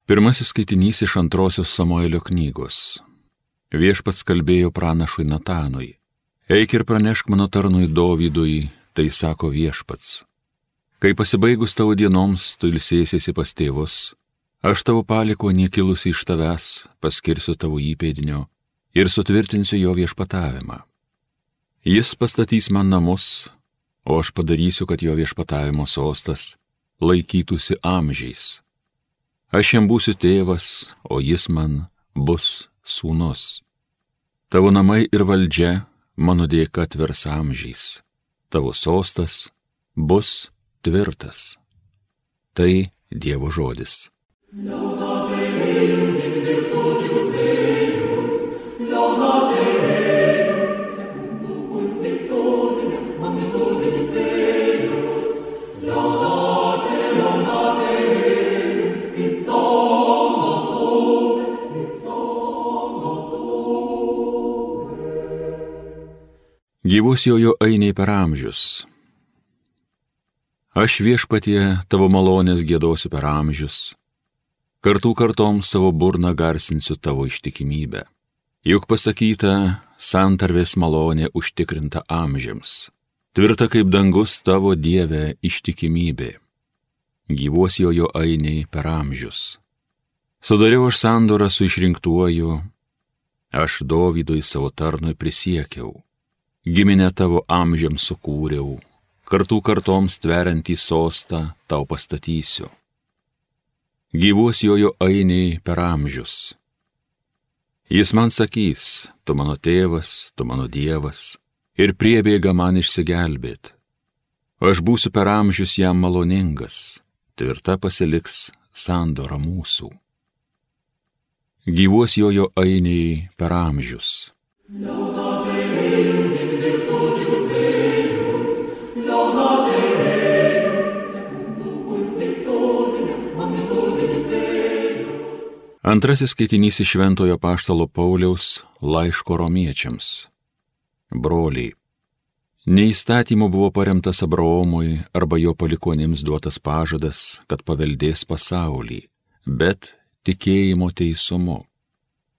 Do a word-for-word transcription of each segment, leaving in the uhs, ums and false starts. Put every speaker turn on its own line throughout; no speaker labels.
Pirmasis skaitinys iš antrosios Samuelio knygos. Viešpats kalbėjo pranašui Natanui. Eik ir pranešk mano tarnui Dovydui, tai sako Viešpats. Kai pasibaigus tavo dienoms, tu ilsėsiesi pas tėvus, aš tavo palikuonį kilusi iš tavęs paskirsiu tavo įpėdinio ir sutvirtinsiu jo viešpatavimą. Jis pastatys man namus, o aš padarysiu, kad jo viešpatavimo sostas laikytųsi amžiais. Aš jam būsiu tėvas, o jis man bus sūnus. Tavo namai ir valdžia mano dėka tvers amžiais. Tavo sostas bus tvirtas. Tai Dievo žodis. Gyvus jojo ainiai per amžius. Aš Viešpatie tavo malonės giedosiu per amžius, kartų kartoms savo burną garsinsiu tavo ištikimybę. Juk pasakyta, santarvės malonė užtikrinta amžiams, tvirta kaip dangus tavo Dieve ištikimybė. Gyvos jojo ainiai per amžius. Sudariau aš sandorą su išrinktuoju, aš Dovydui savo tarnui prisiekiau. Giminę tavo amžiams sukūriau, kartų kartoms tveriantį sostą tau pastatysiu. Gyvuos jojo ainiai per amžius. Jis man sakys, tu mano tėvas, tu mano Dievas, ir priebėga man išsigelbėt. Aš būsiu per amžius jam maloningas, tvirta pasiliks sandora mūsų. Gyvuos jojo ainiai per amžius. Antrasis skaitinys iš Šventojo Apaštalo Pauliaus laiško romiečiams. Broliai, ne įstatymu buvo paremtas Abraomui arba jo palikuonims duotas pažadas, kad paveldės pasaulį, bet tikėjimo teisumu.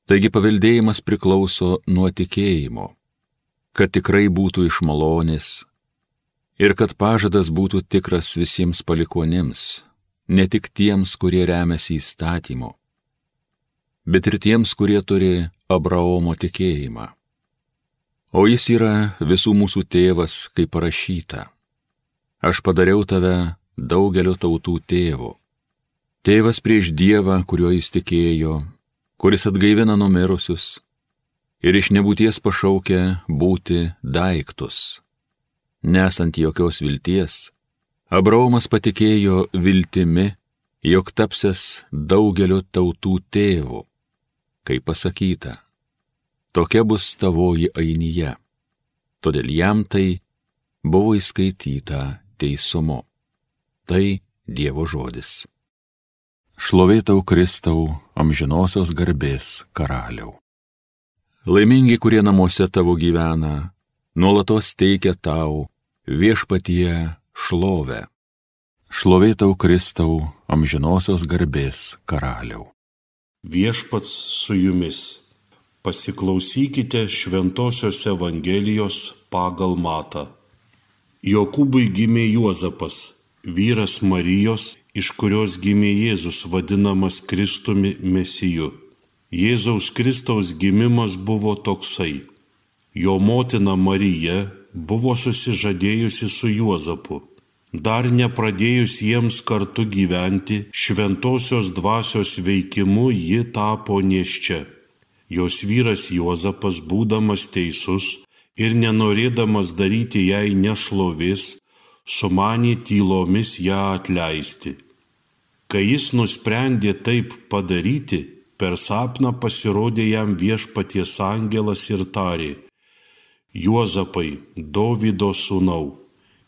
Taigi paveldėjimas priklauso nuo tikėjimo, kad tikrai būtų iš malonės ir kad pažadas būtų tikras visiems palikuonims, ne tik tiems, kurie remiasi įstatymu, bet ir tiems, kurie turi Abraomo tikėjimą. O jis yra visų mūsų tėvas, kaip parašyta. Aš padariau tave daugelio tautų tėvu. Tėvas prieš Dievą, kuriuo jis tikėjo, kuris atgaivina numirusius ir iš nebūties pašaukia būti daiktus. Nesant jokios vilties, Abraomas patikėjo viltimi, jog tapsias daugelio tautų tėvu. Kaip pasakyta, tokia bus tavoji ainija. Todėl jam tai buvo įskaityta teisumu. Tai Dievo žodis. Šlovė tau, Kristau, amžinosios garbės karaliau. Laimingi, kurie namuose tavo gyvena, nuolatos teikia tau Viešpatie šlovę. Šlovė tau, Kristau, amžinosios garbės karaliau.
Viešpats su jumis. Pasiklausykite Šventosios Evangelijos pagal Matą. Jokūbui gimė Juozapas, vyras Marijos, iš kurios gimė Jėzus, vadinamas Kristumi Mesiju. Jėzaus Kristaus gimimas buvo toksai. Jo motina Marija buvo susižadėjusi su Juozapu. Dar nepradėjus jiems kartu gyventi, šventosios dvasios veikimu ji tapo nėščia. Jos vyras Juozapas, būdamas teisus ir nenorėdamas daryti jai nešlovės, sumanė tylomis ją atleisti. Kai jis nusprendė taip padaryti, per sapną pasirodė jam Viešpaties angelas ir tarė: Juozapai, Dovydo sūnau,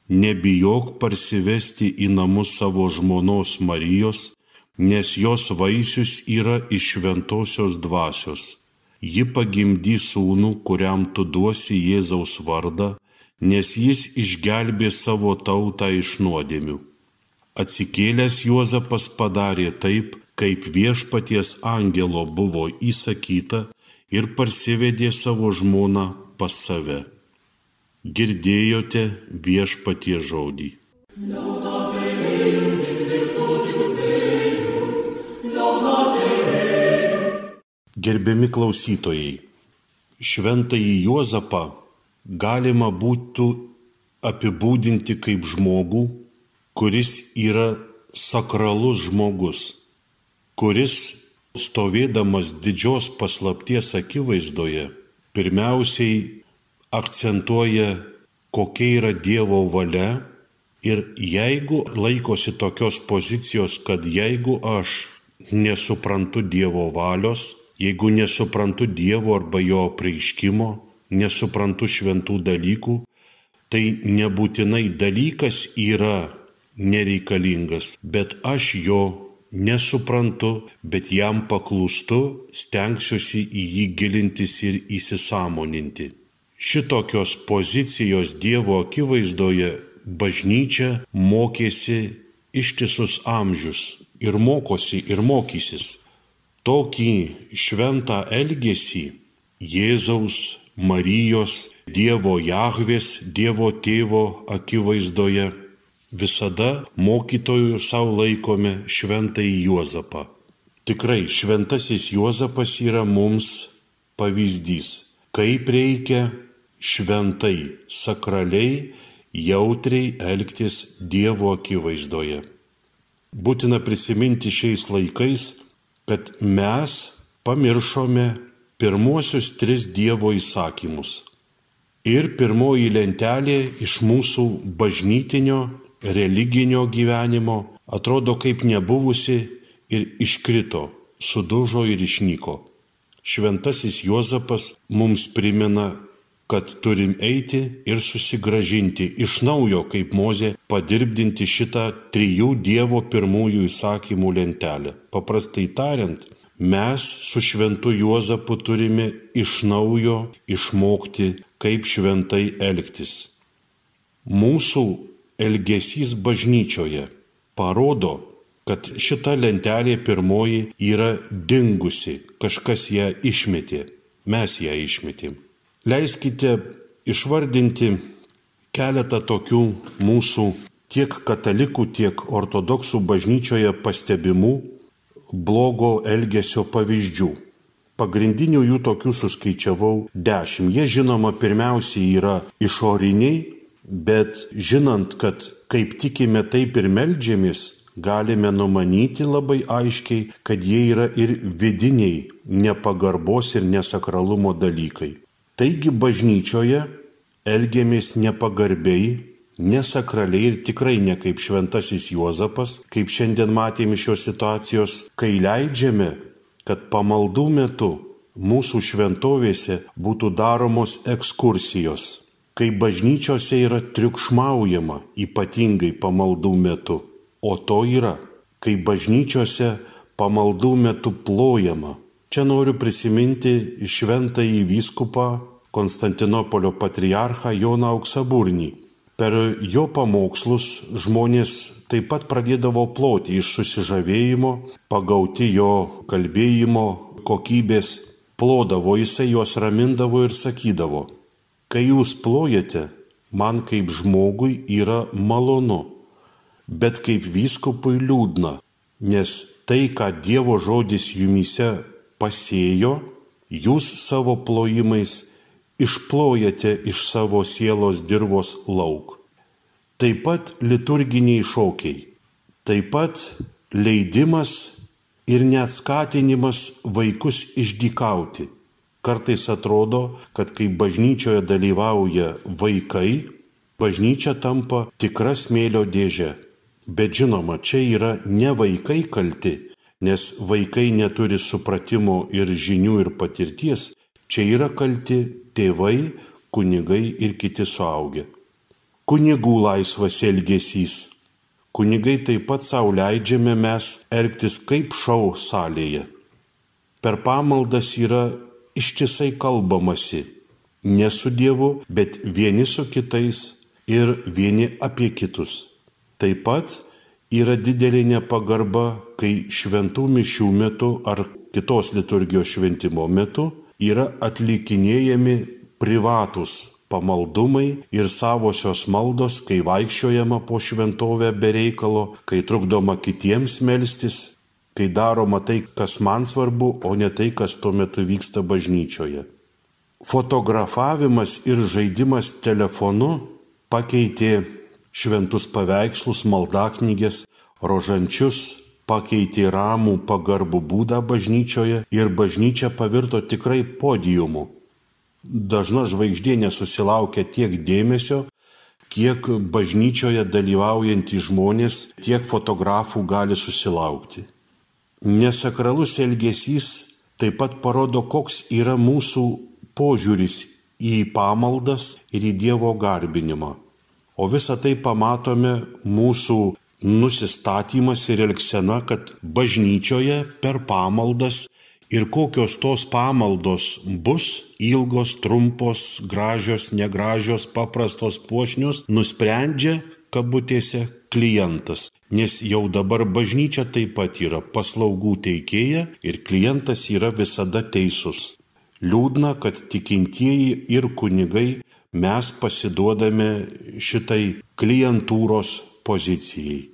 nebijok parsivesti į namus savo žmonos Marijos, nes jos vaisius yra iš šventosios dvasios. Ji pagimdys sūnų, kuriam tu duosi Jėzaus vardą, nes jis išgelbė savo tautą iš nuodėmių. Atsikėlęs Juozapas padarė taip, kaip viešpaties angelo buvo įsakyta ir parsivedė savo žmoną pas save. Girdėjote viešpaties žodį. Gerbiami klausytojai, šventąjį Juozapą galima būtų apibūdinti kaip žmogų, kuris yra sakralus žmogus, kuris stovėdamas didžios paslapties akivaizdoje pirmiausiai akcentuoja, kokia yra Dievo valia ir jeigu laikosi tokios pozicijos, kad jeigu aš nesuprantu Dievo valios, jeigu nesuprantu Dievo arba jo apreiškimo, nesuprantu šventų dalykų, tai nebūtinai dalykas yra nereikalingas, bet aš jo nesuprantu, bet jam paklūstu, stengsiuosi į jį gilintis ir įsisąmoninti. Šitokios pozicijos Dievo akivaizdoje bažnyčia mokėsi ištisus amžius ir mokosi ir mokysis. Tokį šventą elgesį Jėzaus, Marijos, Dievo Jahvės, Dievo Tėvo akivaizdoje visada mokytojų savo laikome šventąjį Juozapą. Tikrai šventasis Juozapas yra mums pavyzdys, kaip reikia šventai, sakraliai, jautriai elgtis Dievo akivaizdoje. Būtina prisiminti šiais laikais, kad mes pamiršome pirmuosius tris Dievo įsakymus. Ir pirmoji lentelė iš mūsų bažnytinio, religinio gyvenimo atrodo kaip nebuvusi ir iškrito, sudužo ir išnyko. Šventasis Juozapas mums primena, kad turim eiti ir susigrąžinti iš naujo, kaip Mozė, padirbdinti šitą trijų Dievo pirmųjų įsakymų lentelę. Paprastai tariant, mes su šventu Juozapu turime iš naujo išmokti, kaip šventai elgtis. Mūsų elgesys bažnyčioje parodo, kad šita lentelė pirmoji yra dingusi, kažkas ją išmetė, mes ją išmetėm. Leiskite išvardinti keletą tokių mūsų tiek katalikų, tiek ortodoksų bažnyčioje pastebimų blogo elgesio pavyzdžių. Pagrindinių jų tokių suskaičiavau dešimt. Jie žinoma pirmiausiai yra išoriniai, bet žinant, kad kaip tikime, taip ir meldžiamės, galime numanyti labai aiškiai, kad jie yra ir vidiniai nepagarbos ir nesakralumo dalykai. Taigi bažnyčioje elgiamės nepagarbiai, nesakraliai ir tikrai ne kaip šventasis Juozapas, kaip šiandien matėme šios situacijos, kai leidžiame, kad pamaldų metu mūsų šventovėse būtų daromos ekskursijos, kai bažnyčiose yra triukšmaujama, ypatingai pamaldų metu, o to yra, kai bažnyčiose pamaldų metu plojama. Čia noriu prisiminti šventąjį vyskupą Konstantinopolio patriarchą Joną Auksaburnį. Per jo pamokslus žmonės taip pat pradėdavo ploti iš susižavėjimo, pagauti jo kalbėjimo kokybės, plodavo, jisai juos ramindavo ir sakydavo, kai jūs plojate, man kaip žmogui yra malonu, bet kaip vyskupui liūdna, nes tai, ką Dievo žodis jumyse pasėjo, jūs savo plojimais išplojate iš savo sielos dirvos lauk. Taip pat liturginiai šokiai, taip pat leidimas ir net skatinimas vaikus išdykauti. Kartais atrodo, kad kai bažnyčioje dalyvauja vaikai, bažnyčia tampa tikra smėlio dėžė. Bet žinoma, čia yra ne vaikai kalti, nes vaikai neturi supratimo ir žinių ir patirties, čia yra kalti tėvai, kunigai ir kiti suaugę. Kunigų laisvas elgesys. Kunigai taip pat sau leidžiame mes elgtis kaip šou salėje. Per pamaldas yra ištisai kalbamasi, ne su Dievu, bet vieni su kitais ir vieni apie kitus. Taip pat Yra didelė nepagarba, kai šventų mišių metu ar kitos liturgijos šventimo metu yra atlikinėjami privatus pamaldumai ir savosios maldos, kai vaikščiojama po šventovę be reikalo, kai trukdoma kitiems melstis, kai daroma tai, kas man svarbu, o ne tai, kas tuo metu vyksta bažnyčioje. Fotografavimas ir žaidimas telefonu pakeitė šventus paveikslus, maldaknygės, rožančius, pakeitė ramų pagarbų būdą bažnyčioje ir bažnyčia pavirto tikrai podiumu. Dažna žvaigždė nesusilaukia tiek dėmesio, kiek bažnyčioje dalyvaujantys žmonės, tiek fotografų gali susilaukti. Nesakralus elgesys taip pat parodo, koks yra mūsų požiūris į pamaldas ir į Dievo garbinimą. O visą tai pamatome mūsų nusistatymas ir elgsena, kad bažnyčioje per pamaldas ir kokios tos pamaldos bus, ilgos, trumpos, gražios, negražios, paprastos, puošnios, nusprendžia, kabutėse, klientas. Nes jau dabar bažnyčia taip pat yra paslaugų teikėja ir klientas yra visada teisus. Liūdna, kad tikintieji ir kunigai mes pasiduodame šitai klientūros pozicijai.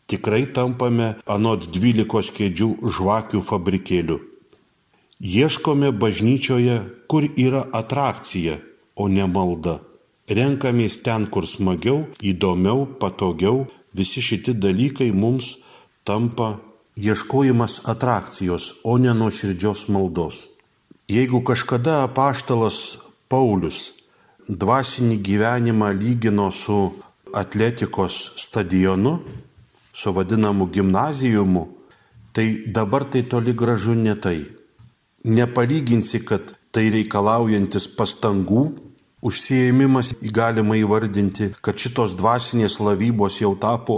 Tikrai tampame anot dvylikos kėdžių žvakių fabrikėliu. Ieškome bažnyčioje, kur yra atrakcija, o ne malda. Renkamės ten, kur smagiau, įdomiau, patogiau. Visi šitie dalykai mums tampa ieškojimas atrakcijos, o ne nuoširdžios maldos. Jeigu kažkada apaštalas Paulius dvasinį gyvenimą lygino su atletikos stadionu, su vadinamu gimnazijumu, tai dabar tai toli gražu ne tai. Nepalyginsi, kad tai reikalaujantis pastangų, užsiėmimas galima įvardinti, kad šitos dvasinės lavybos jau tapo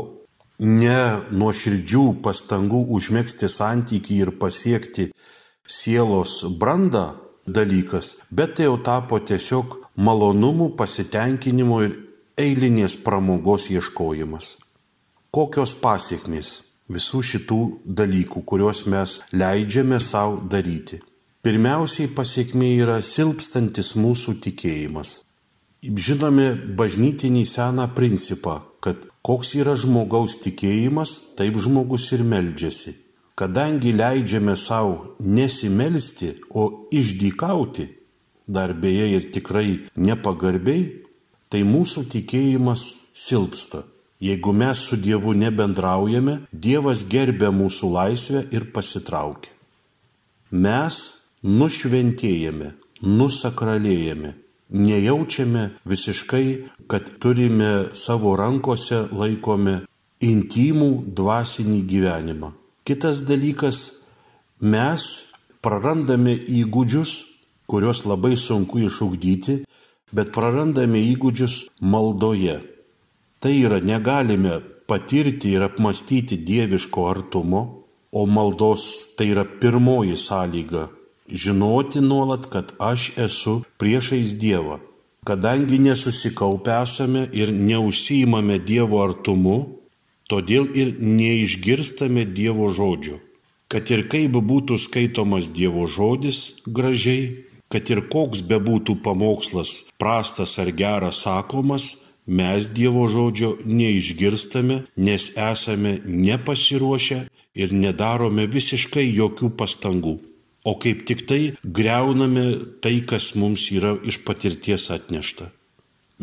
ne nuoširdžių pastangų užmegzti santykį ir pasiekti sielos brandą dalykas, bet tai jau tapo tiesiog malonumų, pasitenkinimo ir eilinės pramogos ieškojimas. Kokios pasiekmės visų šitų dalykų, kuriuos mes leidžiame savo daryti? Pirmiausiai pasiekmė yra silpstantis mūsų tikėjimas. Žinome bažnytinį seną principą, kad koks yra žmogaus tikėjimas, taip žmogus ir meldžiasi. Kadangi leidžiame savo nesimelsti, o išdykauti, dar beje ir tikrai nepagarbiai, tai mūsų tikėjimas silpsta. Jeigu mes su Dievu nebendraujame, Dievas gerbia mūsų laisvę ir pasitraukia. Mes nušventėjame, nusakralėjame, nejaučiame visiškai, kad turime savo rankose laikome intimų dvasinį gyvenimą. Kitas dalykas, mes prarandame įgūdžius, kuriuos labai sunku išugdyti, bet prarandame įgūdžius maldoje. Tai yra, negalime patirti ir apmastyti dieviško artumo, o maldos tai yra pirmoji sąlyga. Žinoti nuolat, kad aš esu priešais Dievą. Kadangi nesusikaupę esame ir neužsiimame Dievo artumu, todėl ir neišgirstame Dievo žodžio. Kad ir kaip būtų skaitomas Dievo žodis gražiai, kad ir koks bebūtų pamokslas prastas ar geras sakomas, mes Dievo žodžio neišgirstame, nes esame nepasiruošę ir nedarome visiškai jokių pastangų. O kaip tik tai griauname tai, kas mums yra iš patirties atnešta.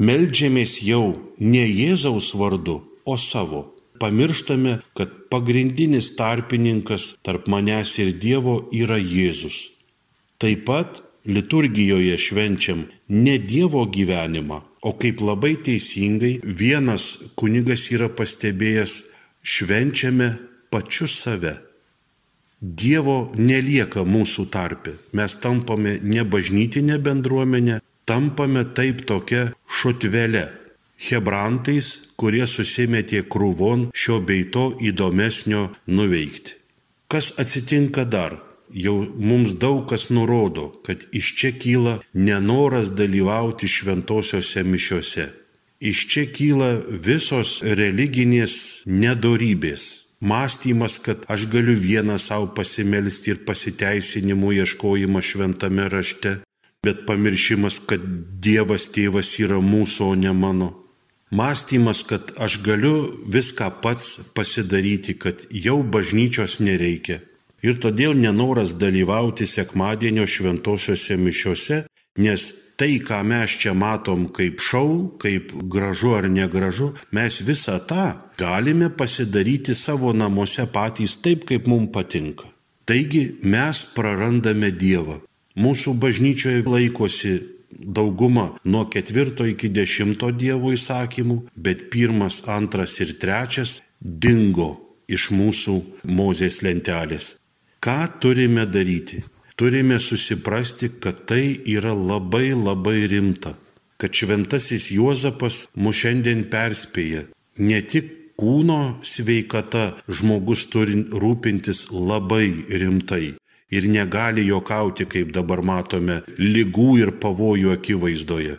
Meldžiamės jau ne Jėzaus vardu, o savo. Pamirštame, kad pagrindinis tarpininkas tarp manęs ir Dievo yra Jėzus. Taip pat liturgijoje švenčiam ne Dievo gyvenimą, o kaip labai teisingai vienas kunigas yra pastebėjęs, švenčiame pačius save. Dievo nelieka mūsų tarpe. Mes tampame ne bažnytinė bendruomenė, tampame taip tokia šutvele. Hebrantais, kurie susimetė krūvon šio bei to įdomesnio nuveikti. Kas atsitinka dar? Jau mums daug kas nurodo, kad iš čia kyla nenoras dalyvauti šventosiose mišiose. Iš čia kyla visos religinės nedorybės. Mąstymas, kad aš galiu vieną savo pasimelsti ir pasiteisinimų ieškojimą šventame rašte, bet pamiršimas, kad Dievas tėvas yra mūsų, o ne mano. Mąstymas, kad aš galiu viską pats pasidaryti, kad jau bažnyčios nereikia. Ir todėl nenoras dalyvauti sekmadienio šventosiuose mišiuose, nes tai, ką mes čia matom kaip šou, kaip gražu ar negražu, mes visą tą galime pasidaryti savo namuose patys taip, kaip mums patinka. Taigi mes prarandame Dievą. Mūsų bažnyčioje laikosi dauguma nuo ketvirto iki dešimto Dievo įsakymų, bet pirmas, antras ir trečias dingo iš mūsų Mozės lentelės. Ką turime daryti? Turime susiprasti, kad tai yra labai labai rimta, kad šventasis Juozapas mus šiandien perspėja. Ne tik kūno sveikata žmogus turi rūpintis labai rimtai ir negali juokauti, kaip dabar matome, ligų ir pavojų akivaizdoje,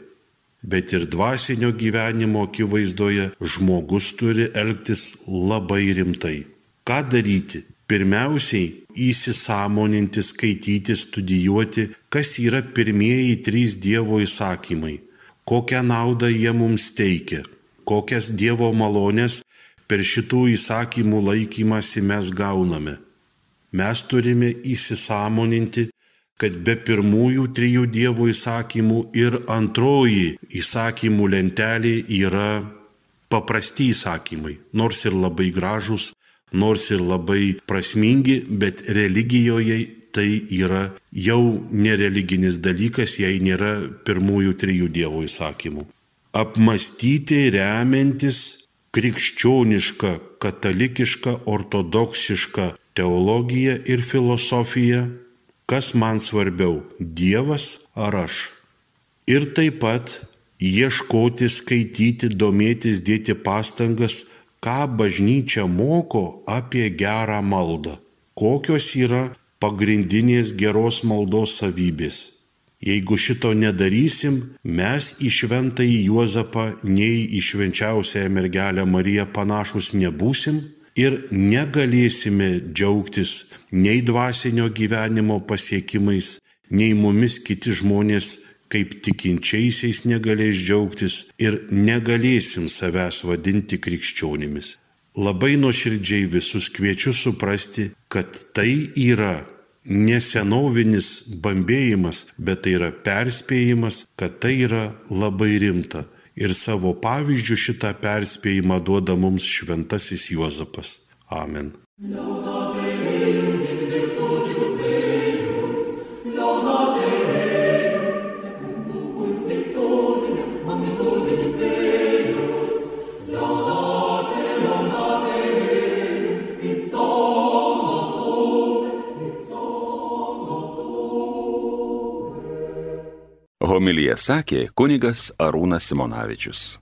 bet ir dvasinio gyvenimo akivaizdoje žmogus turi elgtis labai rimtai. Ką daryti? Pirmiausiai, įsisąmoninti, skaityti, studijuoti, kas yra pirmieji trys Dievo įsakymai, kokią naudą jie mums teikia, kokias Dievo malonės per šitų įsakymų laikymąsi mes gauname. Mes turime įsisąmoninti, kad be pirmųjų trijų Dievo įsakymų ir antroji įsakymų lentelė yra paprasti įsakymai, nors ir labai gražūs, nors ir labai prasmingi, bet religijoje tai yra jau nereliginis dalykas, jei nėra pirmųjų trijų Dievo įsakymų. Apmastyti remiantis krikščionišką, katalikišką, ortodoksišką teologiją ir filosofiją, kas man svarbiau, Dievas ar aš. Ir taip pat ieškoti, skaityti, domėtis, dėti pastangas, ką bažnyčia moko apie gerą maldą, kokios yra pagrindinės geros maldos savybės. Jeigu šito nedarysim, mes į šventąjį Juozapą nei į švenčiausiąją mergelę Mariją panašus nebūsim ir negalėsime džiaugtis nei dvasinio gyvenimo pasiekimais, nei mumis kiti žmonės kaip tikinčiaisiais negalės džiaugtis ir negalėsim savęs vadinti krikščionimis. Labai nuoširdžiai visus kviečiu suprasti, kad tai yra ne senovinis bambėjimas, bet tai yra perspėjimas, kad tai yra labai rimta. Ir savo pavyzdžių šitą perspėjimą duoda mums šventasis Juozapas. Amen.
Homiliją sakė kunigas Arūnas Simonavičius.